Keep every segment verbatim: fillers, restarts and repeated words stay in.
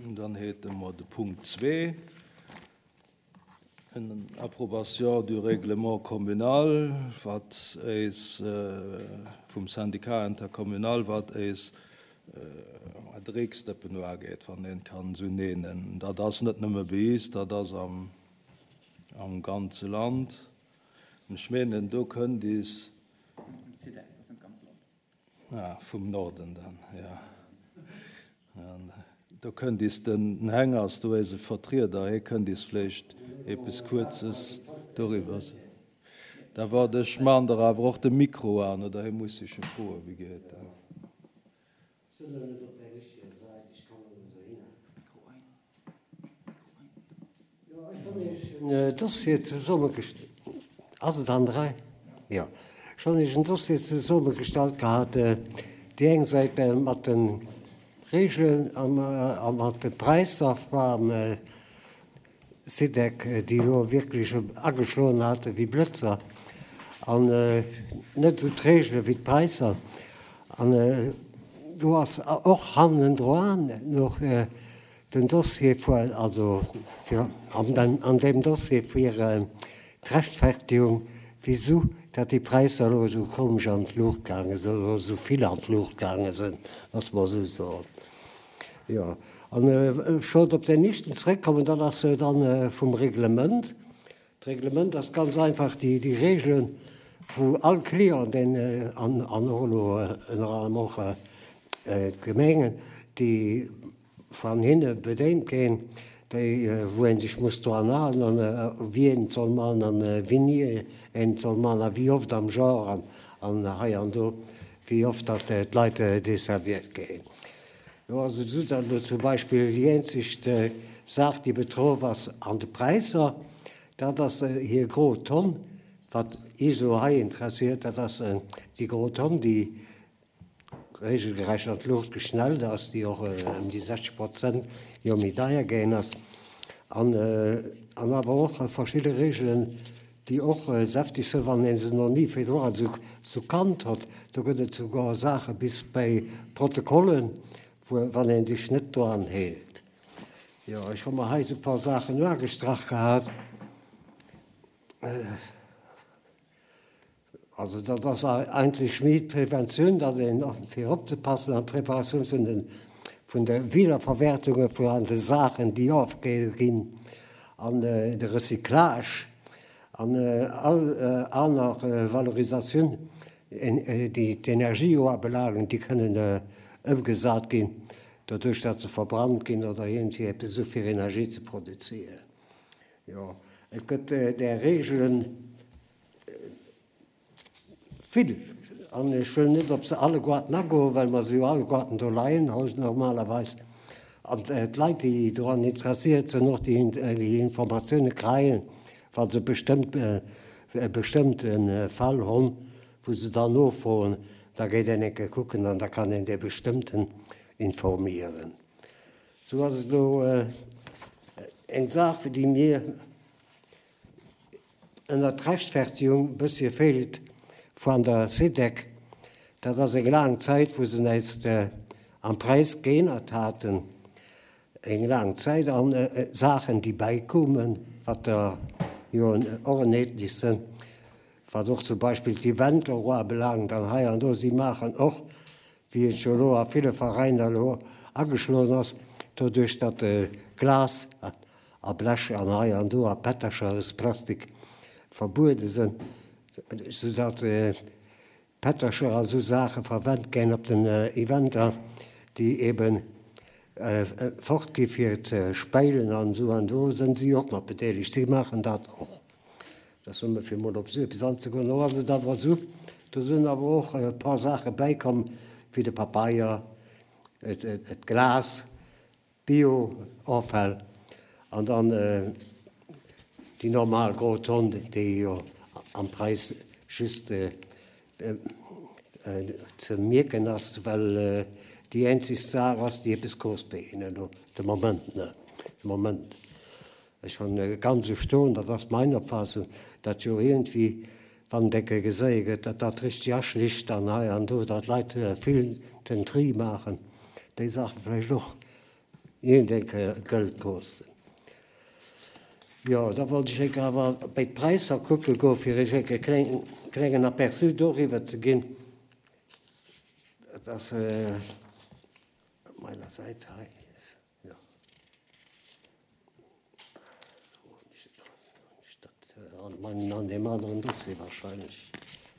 Dann hätte mer de Punkt zwee, en Approbation du règlement communal, wat eis vum Syndicat intercommunal, wat eis Dreckstëppen ugeet, wann een kann esou nennen. Dat ass net nëmme bei eis, dat ass am, am ganze Land. Ech mengen, do kënnt is ja, vum Norden dann, ja. An do kënnt is den Hengers, do ass e Vertrieder, hie kënnt is vläicht eppes Kuerzes doriwwer soen. Da waart, ech maan der awer och de Mikro an, oder hie muss sech froen, wéi geet dat? Sinn der net op der richteger Säit, ech kann net dohinner. Jo, ech hunn Iech en Dossier zesummegestallt. Ass et an der Rei? Jo. Ech hunn Iech en Dossier zesummegestallt gehat, déi eng Säit mat de Reegelen a mat de Präisser beim SIDEC, déi elo wierklech ageschloen hate wéi Blëtzer, an net esou d'Reegele wéi d'Präisser. An do ass och hannendran nach den Dossier vu, also fir an deem Dossier fir d'Rechtfertigung, wisou dat déi Präisser elo esou komesch an d'Luucht gaange sinn, oder esou vill an d'Luucht gaange sinn, loosse mer esou soen. Jo, an ech wollt op den éischten zréckkommen, dat ass dann vum Reglement. D'Reglement ass ganz einfach déi, déi Reegelen, wou all Client, deen, an, an och elo ënner anerem och d'Gemengen, déi van hinne bedéint ginn, déi, wou een sech muss dran halen an wéi een et soll man an wéini een et soll man a wéi oft am Joer an, an hei an do, wéi oft dat d'Leit desserviert ginn. Do ass et esou, datt elo zum Beispill déi eenzeg Saach, déi betroff ass an de Präisser, dat ass hir gro Tonn. Wat ISO hei interesséiert, dat ass déi gro Tonn, déi regelgerecht an d'Luucht geschnellt ass, déi och ëm déi sechzeg Prozent jo méi deier gaang ass. An, an awer och verschidde Reegelen, déi och säfteg sinn, wann ee se nach ni virdru esou, esou kannt huet. Do gëtt et souguer Saache bis bei Protokollen, wou, wann ee sech net dran hält. Jo, ech hu mer hei esou e puer Saachen ugestrach gehat. Also dat ass eigentlech méi d'Preventioun, datt een fir opzepassen an d'Preparatioun vun den, vun der Wiederverwertunge vun an de Saachen, déi ofgeginn ginn, an de Recyclage an all aner Valorisatioun, déi d'Energie ubelaangen, déi kënnen ëmgesat ginn, doduerch datt se verbrannt ginn oder iergendwéi eppes esou fir Energie ze produzéieren. Jo, et gëtt där Reegelen vill. An ech wëll net op se alleguerten agoen, well mer se jo alleguerten do leien hu normalerweis. An d'Leit, déi doran interesséiert sinn, och déi, déi Informatioune kréien, wa se bestëmmt, e bestëmmte Fall hunn, wou se dann nofroen, da geet een eng Kéier kucken an da kann een dee bestëmmten informéieren. Sou ass et elo eng Saach, déi mir ënner d'Rechtfertigung e bëssche feelt vun der SIDEC. Dat ass eng laang Zäit, wou se näischt am Präis geännert haten. Eng laang Zäit an Saachen, déi bäikoumen, wat der jo och en etlich sinn, wat och zum Beispill d'Eventer ubelaangt an hei an do. Si maachen och, wéi et jo elo a ville Veräiner elo ageschloen ass, doduerch datt Glas a Blech an hei an do a Pättercher aus Plastik verbuede sinn, soudatt Pättercher a sou Saache verwent ginn op den Eventer, déi eben fort gi fir ze speilen an esou an do sinn si och mat bedeelegt. Si maachen dat och. Dat soll mer fir mol op esou eppes anzegoen. Lo ass et awer esou, do sinn awer och e paar Saache bäikomm, wéi de Papeier, d'Glas, Bio-Offäll an dann déi normal gro Tonn, déi jo am Präis just ze mierken ass, well déi eenzeg Saach ass, déi eppes kost bei hinnen elo de Moment, ne, de Moment. Ech hunn ganz erstaunt, dat ass mein Opfassung, datt jo iergendwéi, wann decke geséie gëtt, datt dat richteg aschlicht an hei an do, datt Leit vill den Tri maachen, déi Saache vläicht och Iergendeng Kéier Gëld kosten. Jo, da wollt ech enke awer bei d'Präisser kucke goen, fir iech enke kleng, klengen Aperçu doriwwer ze ginn. Dat ass op meiner Säit hei, jo. An meinen, an deem aneren Dossier wahrscheinlech.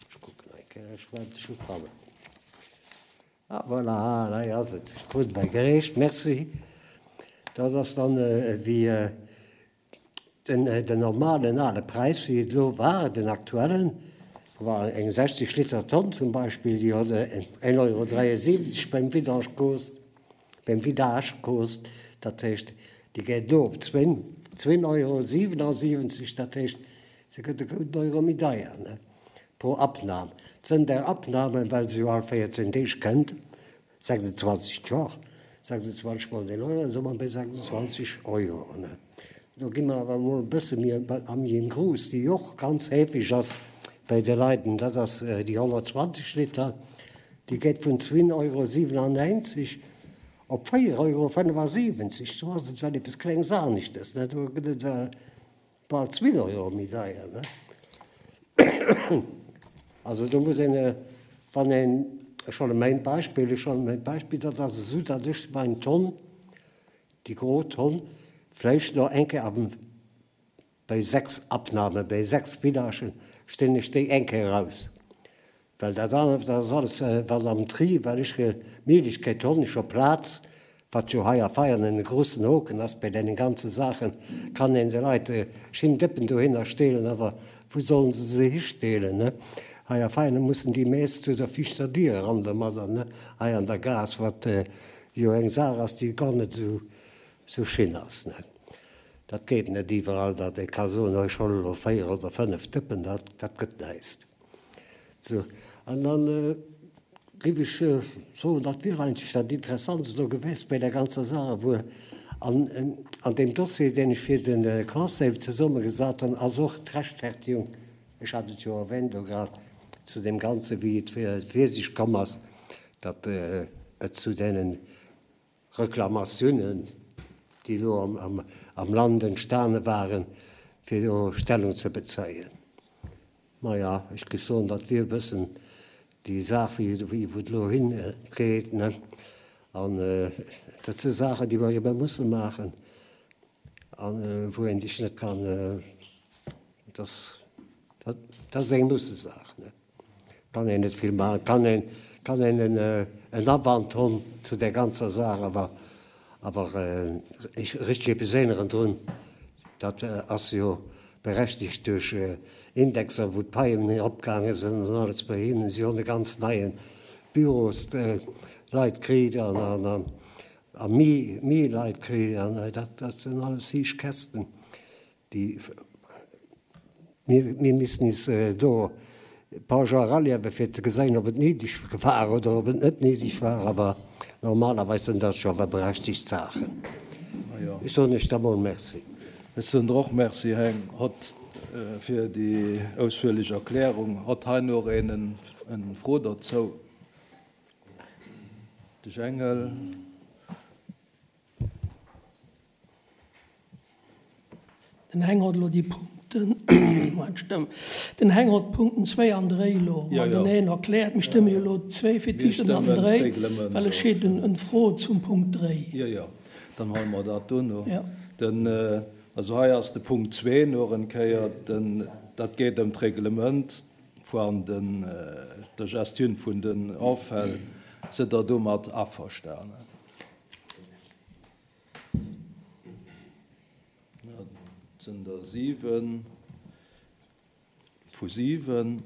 Ech kucken eng Kéier, ech wäert et scho fannen. Ah, voilà, hei ass et. Ech krut et gereecht, merci. Dat ass dann ewéi den, den normalen ale Präis, wéi et elo war, den aktuellen, war eng sechzeg Liter Tonn zum Beispill, déi huet een Euro dräiesiwwenzeg beim Vidange kost, beim Vidage kost, dat heescht, déi geet elo op zwéin, zwéin Euro siwenasiwwenzeg, dat heescht, se gëtt e gudden Euro méi deier, ne, pro Abnahme. Zënter Abnahme, well se jo all véierzéng Deeg kënnt, sechsundzwanzeg d'Woch, sechsundzwanzeg mol den Euro, da si mer bei sechsundzwanzeg Euro, ne. Do gi mer awer emol e bësse méi am méi grouss, déi och ganz heefeg ass bei de Leiden, dat ass déi honnertzwanzeg Liter, déi geet vun zwee Euro siwenannéinzeg op véier Euro fënnefasiwwenzeg. Do ass et well eppes Klengs aneschtes, ne, do gëtt et well bal zwee Euro méi deier, ne. Also do muss een, wann een, ech huele mäin Beispill, ech huele mäin Beispill, dat ass esou, datt ech mein Tonn, déi gro Tonn, vläicht nach eng Kéier am, bei sechs Abnahmen, bei sechs Vidagen stinn ech déi eng Kéier eraus. Well dat anert, dat ass alles wat am Tri, well ech d'Méiglechkeet hunn, ech hu Plaz, wat jo hei a Veianen e grussen Hoken ass bei deenen ganze Saachen, kann een de Leit schin Dëppen dohinner steelen, awer wou sollen se se histeelen, ne? Hei a Veianen mussen déi meescht zu der viischter Dier eran domadder, ne, hei an der Gaass, wat jo eng Saach ass, déi gar net esou Sou schin ass net. Dat geet net iwwerall, datt ee ka soen, oh ech huelen elo véier oder fënnef Dëppen, dat, dat gëtt näischt. Sou, an dann géif ech soen, dat wier eigentlech dat Interessantst elo gewiescht bei där ganzer Saach, wuer an, an deem Dossier, deen ech fir de Conseil zesummegesat hunn, ass och d'Rechtfertigung, ech hat et jo erwähnt elo grad, zu deem Ganzen, wéi et fir sech komm ass, datt et zu deenen Reklamatiounen, déi elo am Land entstane waren, fir do Stellung ze bezéien. Maja, ech géif soen, dat wier e bëssen déi Saach, wéi wou et elo hingeet, ne? An dat si Saachen, déi mer ebe musse maachen a wou een sech net kann, dat ass, dat ass eng Mussesaach, ne? Kann een net vill maachen, kann een, kann een en Awand hunn zu där ganzer Saach, awer, awer richteg eppes änneren drun, dat ass jo berechtigt duerch Indexer, wou d'Paien eropgaange sinn an alles bei hinnen. Si hunn e ganz neie Büros, Leit kritt an, an, a méi, méi Leit kritt an dat, dat sinn alles héich Käschten, déi. Mir missten is do e paar Joer eraliewen, fir ze geséien, ob et néideg war oder ob et net néideg war. Awer normalerweis sinn dat jo awer berechtigt Saachen. Ech soen Iech da mol Merci. Ech soen der och Merci, Här Hott, fir déi ausführlech Erklärung. Hott hei nach een eng Fro derzou? De Jengel. Den Heng hott elo déi Punkten, mein Stëmm, den Heng hott d'Punkten zwéi an dréi elo mateneen erkläert. Mir stëmme jo elo zwéi fir d'éischt an dann den dréi, well ech heet en Fro zum Punkt dréi. Jo, jo, dann huele mer dat dono. Den, also hei ass de Punkt zwee nach en Kéier, den, dat geet ëm d'Reglement van den, der Gestioun vun den Offäll. Sidd Der domat averstanen? Et sinn der siwen vu siwen.